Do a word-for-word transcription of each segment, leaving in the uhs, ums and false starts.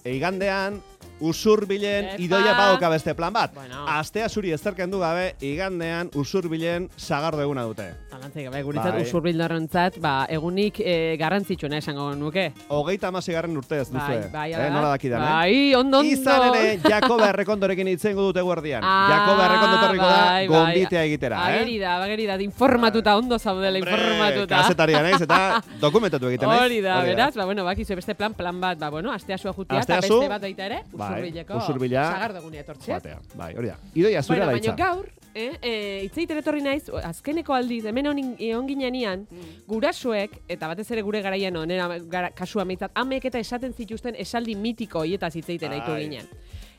igandean, Usurbilen idoia badoka beste plan bat. Bueno. Astea zuri ezterken du gabe, igandean Usurbilen sagardo eguna dute. Alantzik gabe, guritzat bai. Usurbildarrentzat, ba, egunik e, garrantzitsuena esango nuke. Hogeita hamaseigarren urte ez duzue. Bai, bai, eh, nola dakidan, eh? Bai, ondo, ondo. Izan ere, Jakoba Errekondorekin itzen dute guardian. Ah, Jakoba Errekondo torriko da, bai, gombitea bai. egitera, eh? Ageri da, ageri da, informatuta, ondo zaudela, informatuta. Kasetaria naiz, eta dokumentatu egiten naiz. Hori da, beraz, ba, bueno, bakizu beste plan, plan bat, ba, bueno, asteasua jutia, eta beste bat baita ere, Usurbileko. Usurbila. Sagardogunea etortzea. Bai, hori da. Idoia zura bueno, daitza. Baina gaur, eh, eh, itzeiten etorri naiz, azkeneko aldiz, hemen on ginean, mm. gurasoek, eta batez ere gure garaian onera gara, kasua meitzat, amek eta esaten zituzten esaldi mitiko hoietaz itzeiten aitu ginen.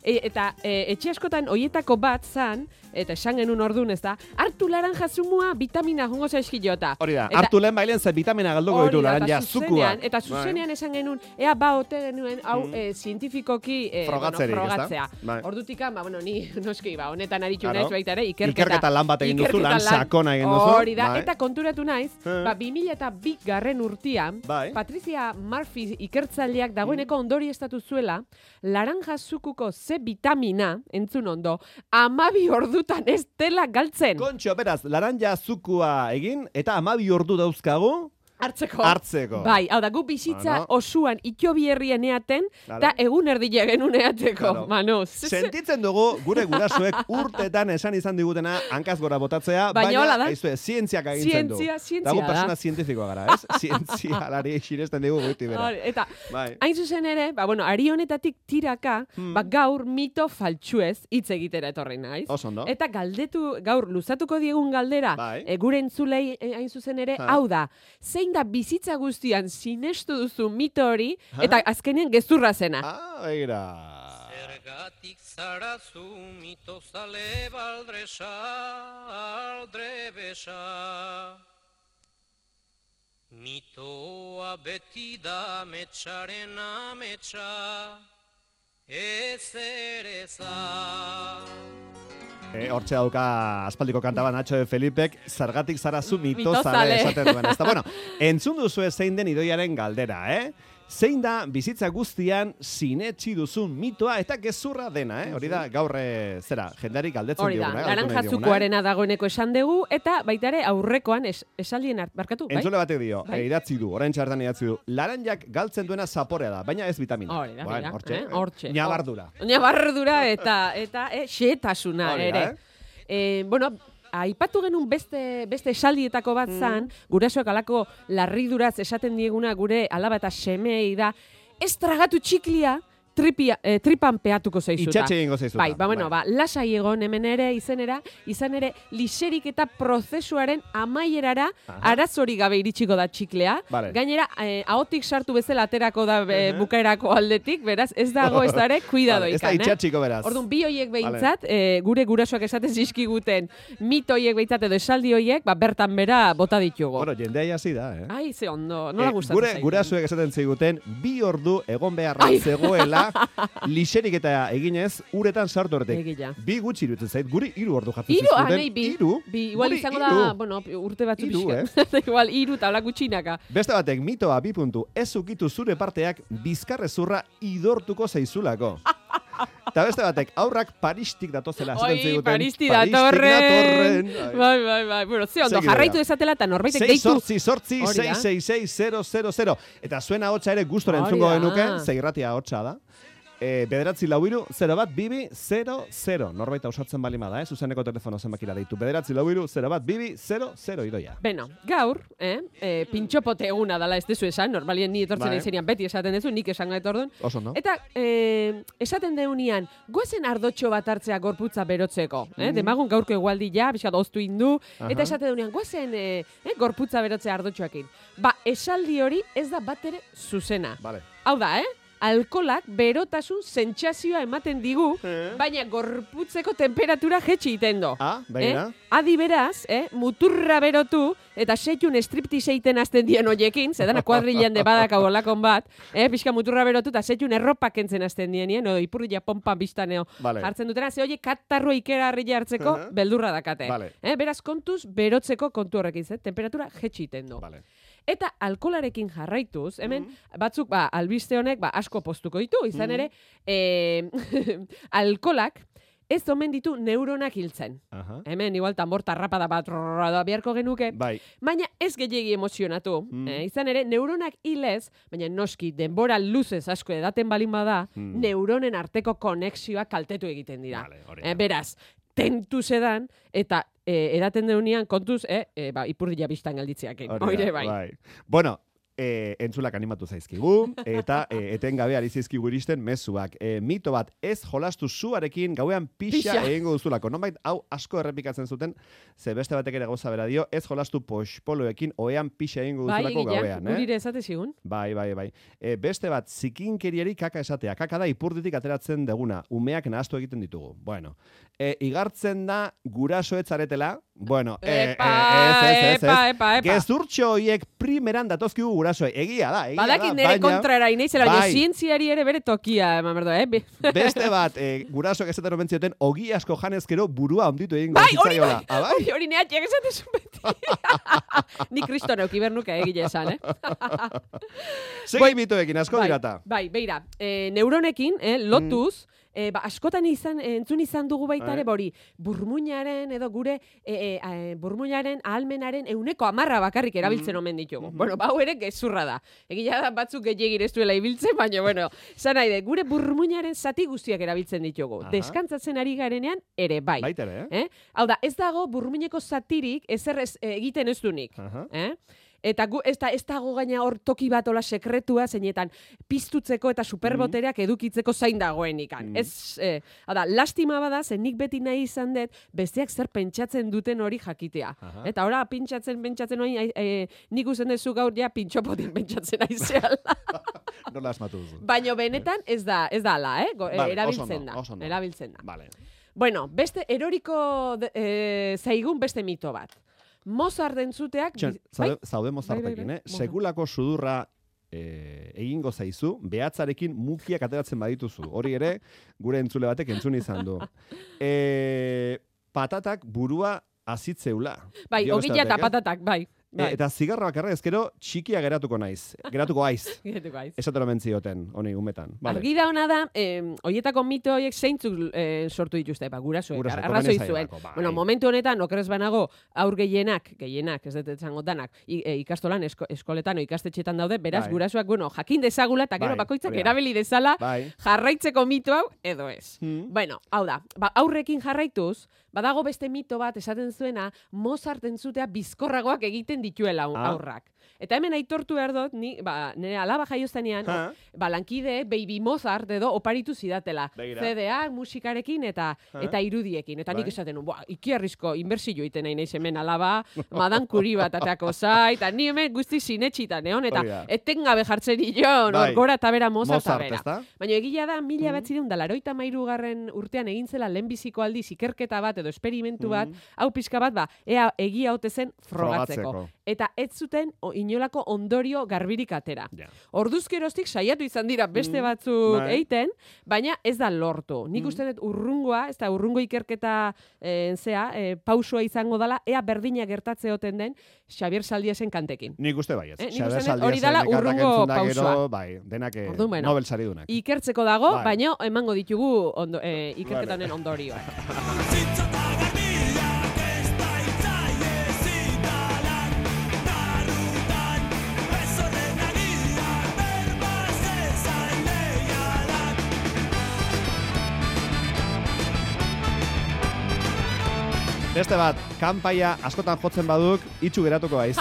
E, eta e, etxe askotan hoietako bat zan, eta esan genuen orduan ez da, hartu laranja zumua vitamina jongo zaizkilota. Hori da, hartu lehen bailen ze vitamina galduko ditu laranja zukua. Eta zuzenean esan genuen, ea ba ote genuen, hau mm. e, zientifikoki e, Frogatzerik, bueno, frogatzea. Bai. Ordutikan, ba, bueno, ni noski, ba, honetan aritxu naiz baita ere, ikerketa. Ikerketa lan bat egin duzu, lan sakona egin duzu. Hori da, bai. Eta konturatu naiz, ba, bi mila eta bi garren urtean, bai. Patricia Murphy ikertzaileak dagoeneko ondori estatu zuela, laranja zukuko ze vitamina, entzun ondo, amabi ordutan ez dela galtzen. Kontxo, beraz, laranja zukua egin, eta amabi ordu dauzkagu, Hartzeko. Hartzeko. Bai, hau da, gu bizitza ah, no. osuan itxobi herrien eaten, eta egun erdila genuen eateko. Claro. Manu, sentitzen dugu, gure gurasoek urtetan esan izan digutena, hankaz gora botatzea, baina, baina aizue, zientziak agintzen du. Zientzia, zientzia da. Dago persona zientifikoa gara, ez? Zientzia alari xinesten dugu guti bera. Eta, bai. hain zuzen ere, ba, bueno, ari honetatik tiraka, hmm. ba, gaur mito faltsuez hitz egitera etorri naiz. Osondo. Eta galdetu, gaur luzatuko diegun galdera, bai. e, gure entzulei hain zuzen ere, ha. hau da, zein da bizitza guztian sinestu duzu mito hori, eta azkenean gezurra zena. Ah, begira. Zergatik zara zu mito zale baldresa, aldrebesa. Mitoa beti da metxaren ametsa, ez ere za. E, hortxe dauka aspaldiko kantaba Nacho de Felipek, zergatik zara zu mitozale esaten duen. Ezta, bueno, entzun duzu zein den idoiaren galdera, eh? Zein da bizitza guztian sinetsi duzun mitoa eta gezurra dena, eh? Hori da, gaur zera, jendari galdetzen dioguna. Hori da, laranja zukuarena dagoeneko esan dugu, eta baita ere aurrekoan es, esaldien barkatu, bai? Entzule batek dio, bai? e, idatzi du, orain txartan idatzi du, laranjak galtzen duena zaporea da, baina ez vitamina. Hori da, bueno, hortxe, eh? Hortxe. Ñabardura. Ñabardura eta, eta eh, xetasuna ere. Eh? Eh, bueno, aipatu genuen beste, beste esaldietako bat zan, mm. gurasoak alako larriduraz esaten dieguna gure alaba eta semei da, ez tragatu txiklia, Tripia, eh, tripan peatuko zaizuta. Itxatxe egingo zaizuta. Bai, ba, bueno, bai. ba, lasai egon hemen ere izenera, izan ere, liserik eta prozesuaren amaierara arazori gabe iritsiko da txiklea. Vale. Gainera, eh, ahotik sartu bezala aterako da eh, bukaerako aldetik, beraz, ez dago ez dare, kuidado vale, ikan. Ez da itxatxiko beraz. Orduan, bi hoiek behintzat, vale. eh, gure gurasoak esaten zizkiguten, mito hoiek behintzat edo esaldi hoiek, ba, bertan bera bota ditugu. Bueno, jendea hasi da, eh? Ai, ze ondo, nola eh, gustatzen zaigu. Gure gurasoek esaten ziguten, bi ordu egon beharra zegoela, liserik eta eginez, uretan sartu arte. Bi gutxi irutzen zait, guri hiru ordu jatzen zizkuten. Iru, anei bi. Iru? Bi, igual izango da, bueno, urte batzu pixka. Eh? Igual, iru eta hola gutxinaka. Beste batek, mitoa bi puntu, ez ukitu zure parteak bizkarrezurra idortuko zaizulako. Eta beste batek, aurrak paristik datozela. Oi, paristik datorren. Bai, bai, bai. Bueno, ze ondo, jarraitu dezatela eta norbaitek deitu. Sortzi, sortzi, sei, sei, sei, zero, zero, zero. Eta zuena hotxa ere gustora entzungo genuke, zeirratia hotxa da. E, bederatzi lau iru, zero bat, bibi, zero, zero. Norbaita usatzen balima da, eh? Zuzeneko telefono zenbakira deitu. Bederatzi lau iru, zero bat, bibi, zero, zero idoia. Beno, gaur, eh? e, pintxopote eguna dala ez dezu esan, normalien ni etortzen izenian beti esaten dezu, nik esan gaet orduan. Oso, no? Eta eh, esaten deunian, goazen ardotxo bat hartzea gorputza berotzeko. Eh? Mm. Demagun gaurko egualdi ja, bizkat oztu indu. Aha. Eta esaten deunian, goazen eh, eh, gorputza berotzea ardotxoakin. Ba, esaldi hori ez da bat ere zuzena. Vale. Hau da, eh? Alkolak berotasun sentsazioa ematen digu, eh? Baina gorputzeko temperatura jetxi iten do. Ah, baina. Eh? Adi beraz, eh? muturra berotu, eta seitun striptease egiten azten dien hoiekin, zedana kuadrilean de badaka bolakon bat, eh? Pixka muturra berotu, eta seitun erropak entzen azten dien, no? Ipurria pompa biztaneo vale. Hartzen dutena, ze hoiek katarro ikera harria hartzeko uh -huh. beldurra dakate. Vale. Eh? Beraz, kontuz berotzeko kontu horrekin, ze? Temperatura jetxi iten do. Vale. Eta alkolarekin jarraituz, hemen, mm. batzuk, ba, albiste honek, ba, asko postuko ditu, izan ere, mm. e, alkolak, ez omen ditu neuronak hiltzen. Aha. Hemen, igual, tambor tarrapada bat da beharko genuke. Bai. Baina ez gehiegi emozionatu. Mm. Eh, izan ere, neuronak hilez, baina noski, denbora luzez asko edaten balin bada, mm. neuronen arteko konexioak kaltetu egiten dira. Vale, eh, beraz, tentu sedan, eta eh, edaten deunean, kontuz, eh, eh, ba, ipurdila biztan galditzeak. Oire, bai. bai. Bueno, E, entzulak animatu zaizkigu, eta e, etengabe ari zaizkigu iristen mezuak. E, mito bat, ez jolastu zuarekin gauean pixa egingo duzulako. Nonbait, hau asko errepikatzen zuten, ze beste batek ere gauza bera dio, ez jolastu poxpoloekin oean pixa egingo duzulako bai, gauean. Bai, gurire esate zigun. Bai, bai, bai. E, beste bat, zikinkeriari kaka esatea. Kaka da ipurditik ateratzen deguna. Umeak nahaztu egiten ditugu. Bueno, e, igartzen da gurasoetzaretela, bueno, e, epa, e, ez, ez, ez, epa, epa, epa. Gezurtxo horiek primeran datozkigu gurasoei. Egia da, egia Badakit da. Badakit nire kontrara inaizela, baina bai. zientziari ere bere tokia, eman berdo, eh? Beste bat, e, gurasoak esaten omentzioten, ogi asko janezkero burua onditu egin bai, gozitzaiola. Bai, hori bai, hori neatxeak esatezu beti. Ni kristo neuki bernuka egile esan, eh? Segi mitoekin, asko bai, dirata. Bai, beira, e, neuronekin, eh, lotuz, mm. E, ba, askotan izan, entzun izan dugu baita ere, bori, burmuinaren edo gure e, e, e, burmuinaren ahalmenaren euneko amarra bakarrik erabiltzen omen ditugu. Mm-hmm. Bueno, bau ere gezurra da. Egia da batzuk gehiagir ez duela ibiltzen, baina, bueno, zan nahi de, gure burmuinaren zati guztiak erabiltzen ditugu. Aha. Deskantzatzen ari garenean ere bai. Baitere, eh? eh? Hau da, ez dago burmuineko zatirik ezer ez, egiten ez dunik. Eh? Eta gu, ez, da, ez dago gaina hor toki bat ola sekretua, zeinetan piztutzeko eta superbotereak edukitzeko zain dagoenikan. Mm. Ez, eh, da, lastima bada, zen nik beti nahi izan dut, besteak zer pentsatzen duten hori jakitea. Aha. Eta ora, pintxatzen, pentsatzen hori, eh, nik uzen dezu gaur ja pintxopotin pentsatzen aizeala. Nola asmatu duzu. Baina benetan ez da, ez da ala, eh? Go, vale, erabiltzen da. Oso no. Erabiltzen da. Vale. Bueno, beste eroriko eh, zaigun beste mito bat. Mozart entzuteak... Txan, zaude, zaude Mozartekin, bai, bai, bai. eh? Sekulako sudurra eh, egingo zaizu, behatzarekin mukiak ateratzen badituzu. Hori ere, gure entzule batek entzun izan du. E, patatak burua azitzeula. Bai, ogila eta patatak, bai. Bai. E, eta zigarra bakarra ezkero txikia geratuko naiz. Geratuko aiz. Geratuko aiz. Esatero mentzioten, honi, umetan. Vale. Argi da hona da, eh, oietako mito horiek zeintzuk eh, sortu dituzte, ba, gurasoek, arrazoi zuen. Bai. Bueno, momentu honetan, okerez banago, aur gehienak, gehienak, ez dut etzango danak, e, ikastolan, esko, eskoletan o ikastetxetan daude, beraz, bai. Gurasoak, bueno, jakin dezagula, eta gero bai. Bakoitzak erabili dezala, bai. Jarraitzeko mito hau, edo ez. Hmm. Bueno, hau da, ba, aurrekin jarraituz, badago beste mito bat esaten zuena, Mozart entzutea bizkorragoak egiten dituela aurrak. Eta hemen aitortu behar dut, ni, ba, nire alaba jaioztanean, ba, lankide Baby Mozart edo oparitu zidatela. C D A, musikarekin eta ha? Eta irudiekin. Eta nik esaten nun, ikiarrizko inbertsio iten nahi naiz hemen alaba, Madan Curie bat ateako zai, eta ni hemen guzti sinetxitan, egon, eta etengabe jartzen nio, gora eta bera Mozart eta bera. Baina egia da, mila bat ziren, da laroita mairu garren urtean egin zela lehenbiziko aldiz ikerketa bat edo esperimentu bat, hau pixka bat, ba, ea egia haute zen frogatzeko. Eta ez zuten inolako ondorio garbirik atera. Yeah. Orduzkeroztik saiatu izan dira beste batzuk mm, eiten, baina ez da lortu. Nik mm. uste dut urrungoa, ez da urrungo ikerketa e, zea, e, pausua izango dala, ea berdina gertatze oten den Xabier Saldiesen kantekin. Nik uste bai ez. Eh, nik uste hori dala urrungo pausua. Bai, denak Ordu, bueno, Nobel saridunak. Ikertzeko dago, bai. Baina emango ditugu ondo, e, ikerketa honen ondorioa. Beste bat, kanpaia askotan jotzen baduk, itxu geratuko aiz.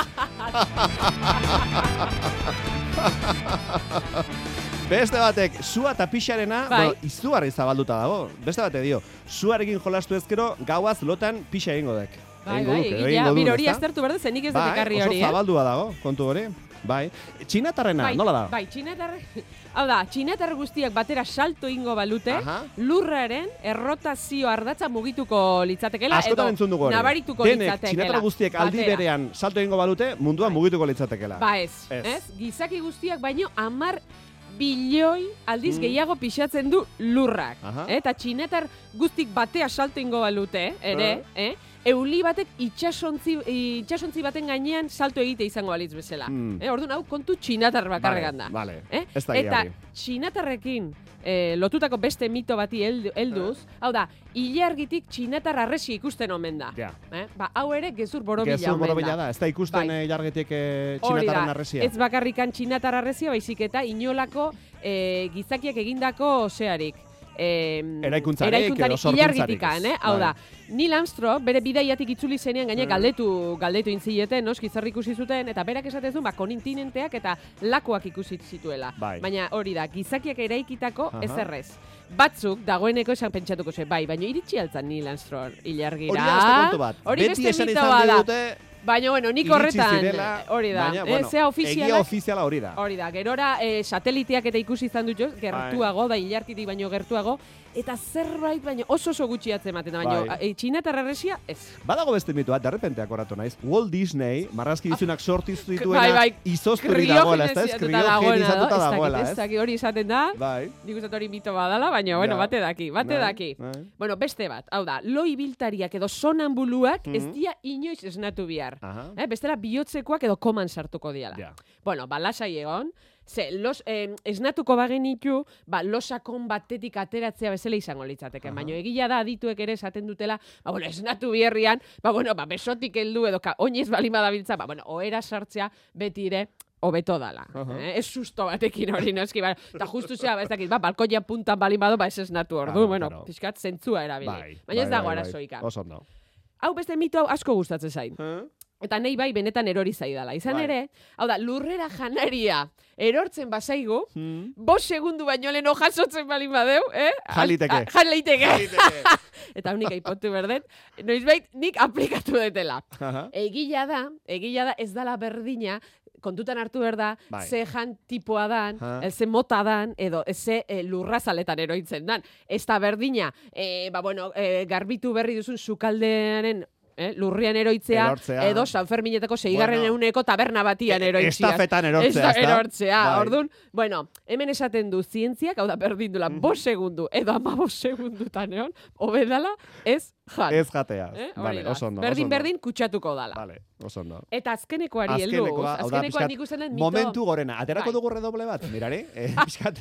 Beste batek, sua eta pixarena, bai. Bueno, izugarri zabalduta dago. Beste batek dio, suarekin jolastu ezkero, gauaz lotan pixa egingo dek. Bai, bai, egia, bir hori aztertu berde, zenik ez dut ekarri hori, eh? Oso zabaldua dago, kontu hori. Bai, txinatarrena, bai, nola da? Bai, txinatarre, hau da, txinatarre guztiak batera salto ingo balute, aha. Lurraren errotazio ardatza mugituko litzatekela, edo nabarituko Denek, litzatekela. Txinatarre guztiak aldi berean salto ingo balute, munduan bai. Mugituko litzatekela. Ba ez, ez, ez? Gizaki guztiak baino amar bilioi aldiz mm. gehiago pixatzen du lurrak. Eta txinetar guztik batea salto ingo balute, ere, uh. eh? euli batek itxasontzi, itxasontzi baten gainean salto egite izango balitz bezala. Mm. Eh, orduan, hau kontu txinatar bakarregan da. Vale, Eh? ez da Eta hori. txinatarrekin eh, lotutako beste mito bati heldu- helduz, hau da, ilargitik txinatar arresi ikusten omen da. Ja. Eh? Ba, hau ere gezur borobila Gezur omen borobila da. da, ez da ikusten Bai. eh, jargetik eh, Hori txinatarren da, arresia. ez bakarrikan txinatar arresia, baizik eta inolako eh, gizakiak egindako zearik. Eh, Eraikuntzarik eraikuntzarik edo sorkuntzarik ilargitikan, ez. eh? Hau Bai. da, Neil Armstrong bere bidaiatik itzuli zenean gaine Mm. galdetu galdetu intzileten, noski zer ikusi zuten eta berak esaten du ba kontinenteak eta lakoak ikusi zituela. Bai. Baina hori da, gizakiak eraikitako Aha. ezerrez. Batzuk dagoeneko esan pentsatuko ze, bai, baina iritsi altzan Neil Armstrong ilargira. Hori da beste kontu bat. Hori Beti beste esan mito izan bat da. digute, Baina, bueno, nik iritsi horretan, zirela, hori da, baina, eh, bueno, zea egia ofizialak, ofiziala hori da. hori da, gerora eh, sateliteak eta ikusi izan dut jo, Bai. gertuago, da ilarkitik baino gertuago, eta zerbait baino oso oso gutxi atzematen da, baino Bai. e, txinatar arresia, ez. Badago beste mitoa, derrepente akoratu naiz. Walt Disney, marrazkizunak sortu zituena, Bai, bai, izozturik dagoela, ez da? Ez kriogenizatuta kriogenizatuta dagoena, dagoela, ez ez? dakit hori izaten da, Bai. nik uste dut hori mito badala, baina, bueno, Ja. bate daki, bate Bai, daki. bai. Bueno, beste bat, hau da, lo ibiltariak edo sonambuluak ez Mhm. dia inoiz esnatu bihar. Aha. Eh, bestela bihotzekoak edo koman sartuko diala. Ja. Bueno, ba, lasai egon, ze, los, eh, esnatuko bagenitu, ba, losakon batetik ateratzea bezala izango litzateke. Aha. Baina egia da adituek ere esaten dutela, ba, bueno, esnatu bierrian, ba, bueno, ba, besotik heldu edo ka, oinez balima dabiltza, ba, bueno, ohera sartzea beti ere hobeto dala. Aha. Eh? Ez susto batekin hori noski, ba, eta justu zea, ba, ez dakit, ba, balkoia puntan balima ba, ez esnatu ordu, Claro, bueno, claro. pixkat zentzua erabili. Bai, Baina ez bai, dago bai, bai. arazoika. Oso ondo. Hau beste mito hau asko gustatzen zain. Eh? Eta nahi bai benetan erori zaidala. Izan Bai. ere, hau da, lurrera janaria erortzen bazaigu, Hmm. bost segundu baino lehen jasotzen balin badeu, eh? Jaliteke. A- Jaliteke. Jaliteke. Eta nik aipotu berdet, noizbait nik aplikatu detela. Aha. Egila da, egila da ez dala berdina, kontutan hartu behar da, Bai. ze jan tipoa dan, Ha. eh, ze mota dan, edo ze e, lurrazaletan eroitzen dan. Ez da berdina, e, ba, bueno, e, garbitu berri duzun sukaldearen eh, lurrian eroitzea, Erortzea. edo San Ferminetako seigarren Bueno. euneko taberna batian E- eroitzea. estafetan erortzea, Esta- ezta? erortzea, Bai. orduan, bueno, hemen esaten du zientziak, hau da, berdin dula, bost segundu, edo ama bost segundutan egon, hobedala, ez jan. Ez jatea. Eh, hori Vale, da. oso ondo. berdin, oso ondo. berdin, kutsatuko dala. Vale, oso ondo. Eta azkenekoari heldu. Azkenekoa, hau da, Azkenekoa pixkat, nik usten dut mito. momentu gorena. Aterako Bai. dugu redoble bat, mirari? Eh, pixkat,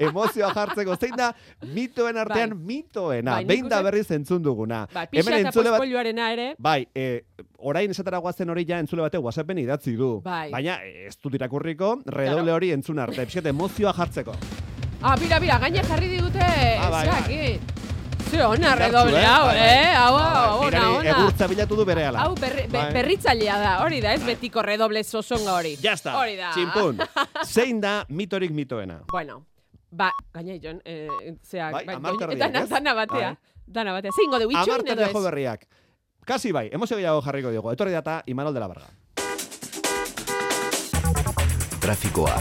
emozioa jartzeko. Zein da, mitoen artean Bai. mitoena. Bai, nik Behin da uste- berriz entzun duguna. Bai, pixa Hemen eta entzule bat, pospolioarena ere, bai, eh, orain esatara guazen hori ja entzule batek WhatsAppen idatzi du. Bai. Baina eh, ez dut irakurriko, redoble hori entzun arte. Pixkat, emozioa jartzeko. ah, bira, bira, gaine jarri digute, Ah, bai, zeak, ze ona Indartsu, redoble eh? hau, Bai, bai. eh? Hau, hau, Bai, ona, mirari, ona. egurtza bilatu du berehala. Hau berri, be, Bai. berritzailea da, hori da, ez betiko redoble zozonga hori. Ya está, Hori da. txinpun. Zein da mitorik mitoena? Bueno, ba, gaina jon, eh, zeak, Bai, bai, hamar doin- terdiak, dana, ez? dana batea, Bai. dana batea. Zeingo dugu, itxoin Amartan edo jo ez? berriak. Kasi bai, emozio gehiago jarriko dugu. Etorri data Imanol de la Varga. Trafikoa.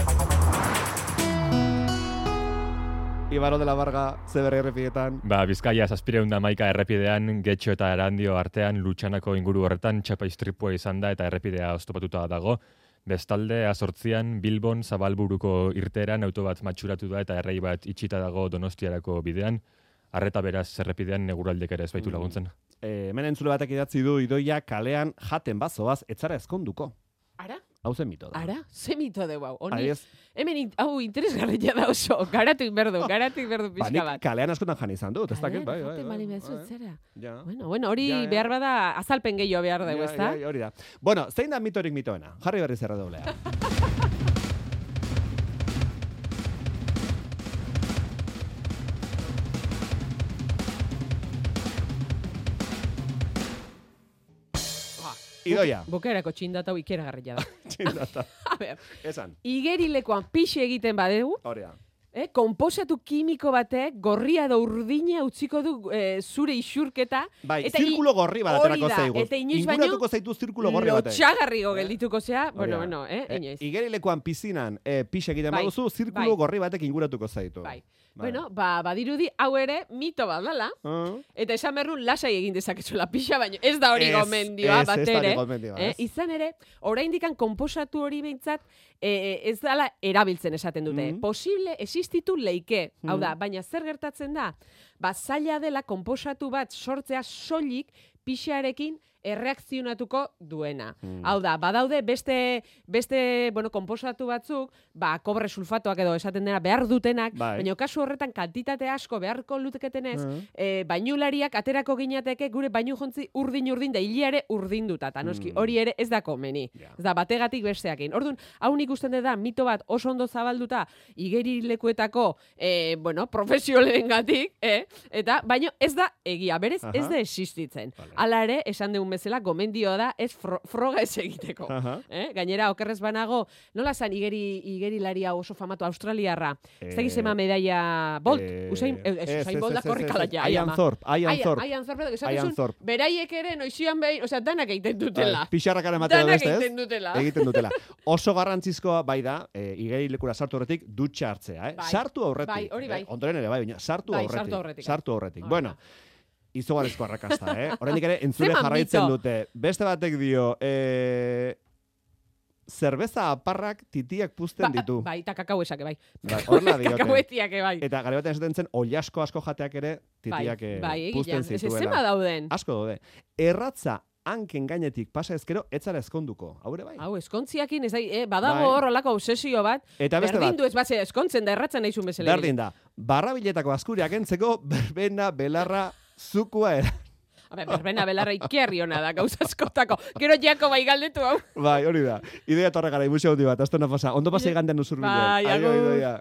Imanol de la Varga, ze berri errepietan. Ba, Bizkaia zazpireun da maika errepidean, Getxo eta Erandio artean, Lutxanako inguru horretan, txapa istripua izan da eta errepidea oztopatuta dago. Bestalde, azortzian, Bilbon, Zabalburuko irteeran, auto bat matxuratu da eta errei bat itxita dago Donostiarako bidean. Arreta beraz errepidean neguraldek ere ez baitu laguntzen. E, hemen entzule batek idatzi du idoia kalean jaten bazoaz, etzara ezkonduko. Ara? Hau zen mito da. Ara? Ze mito dugu hau? Honi, Adibidez, hemen, in- hau interesgarria da oso, garatu inberdu, garatu inberdu ba, pixka nik bat. kalean askotan jan izan dut, ez dakit, bai, bai, Jaten bai. bali mezu, bai. zera. Ja. Bueno, bueno, hori Ja, ja. behar bada azalpen gehiago behar dugu, Ja, ezta? ja, hori da. Bueno, zein da mitorik mitoena? Jarri berriz erredoblea. Idoia. Bukaerako txindata hau ikeragarria da. Txindata. A ber, Esan. igerilekoan pixe egiten badegu, Hori da. eh, konposatu kimiko batek gorria edo urdina utziko du eh, zure isurketa. Bai, eta i- zirkulo gorri bat hori aterako da, zaigu. eta inoiz baino Inguratuko zaitu zirkulo gorri batek. lotxagarriko geldituko zea, bueno, Hori da. bueno, eh, inoiz. Igerilekoan pizinan e, pixe egiten Bai, baduzu, zirkulo bai. gorri batek inguratuko zaitu. Bai. Bueno, ba, badirudi hau ere mito bat dala, Ah. eta esan berrun lasai egin dezakezuela pixa, baina ez da hori Ez, gomendioa ez, bat ez da hori ere. gomendioa, eh? ez. Izan ere, oraindikan konposatu hori behintzat, eh, ez dala erabiltzen esaten dute. Mhm. Posible existitu leike. Hau da, Mhm. baina zer gertatzen da? Ba, zaila dela konposatu bat sortzea soilik pixarekin erreakzionatuko duena. Mm. Hau da, badaude beste, beste bueno, konposatu batzuk, ba, kobre sulfatoak edo esaten dena behar dutenak, Bai. baina kasu horretan kantitate asko beharko luteketenez, Mhm. e, bainulariak aterako ginateke gure bainu jontzi urdin-urdin da hiliare urdinduta, eta noski, Mm. hori ere ez da komeni. Ja. Ez da, bategatik besteakin. Orduan, hau nik usten da mito bat oso ondo zabalduta igerilekuetako, e, bueno, profesiolengatik, eh? Eta, baino ez da egia, berez Aha. ez da existitzen. Vale. Hala ere, esan dugun bezala, gomendioa da ez fro froga ez egiteko. Aha. Eh? Gainera, okerrez banago, nola zan igeri, igerilaria oso famatu australiarra? Ez da gizema medaia Bolt, eh, Usain, eh, ez, ez, Usain ez, Bolt da ez, ez, korrikala ez, ja. Ian ama. Thorpe, Ian Ian- Thorpe. Ian Thorpe, esan Ian duzun, Thorpe. beraiek ere noizian behin, osea, danak egiten dutela. Pixarrakan ematea Danak beste, ez? egiten dutela. Egiten dutela. Oso garrantzizkoa bai da, e, igerilekura sartu horretik dutxa hartzea, eh? Bai. Sartu aurretik. Bai, hori bai. Eh? Ondoren ere bai, baina sartu Bai, aurretik. sartu aurretik. Sartu aurretik. Hori Bueno, da. izugarrizko arrakasta, eh? Oraindik ere entzule Zeman jarraitzen mito. dute. Beste batek dio, eh, zerbeza aparrak titiak puzten Ba- ditu. Bai, eta kakauesak, bai. Bai, horrela diote. Kakauetiak, bai. Eta gare batean esaten zen, oilasko asko jateak ere titiak Bai, eh, bai, puzten egilean. Ez zituela. zema dauden. Asko daude. Erratza hanken gainetik pasa ezkero, etzara eskonduko. Hau ere bai. Hau, eskontziakin, ez da, eh, badago Bai. hor olako obsesio bat, Eta beste berdin bat, du ez bat, eskontzen da erratzen naizun bezala. berdin da, barrabiletako askuriak entzeko, berbena, belarra, zukua era. Habe, berbena belarra ikerri hona da, gauza askotako. Gero jako bai galdetu hau. Bai, hori da. Idea torre gara, imusio handi bat, aztona pasa. Ondo pasa igandean usur Bai, agur.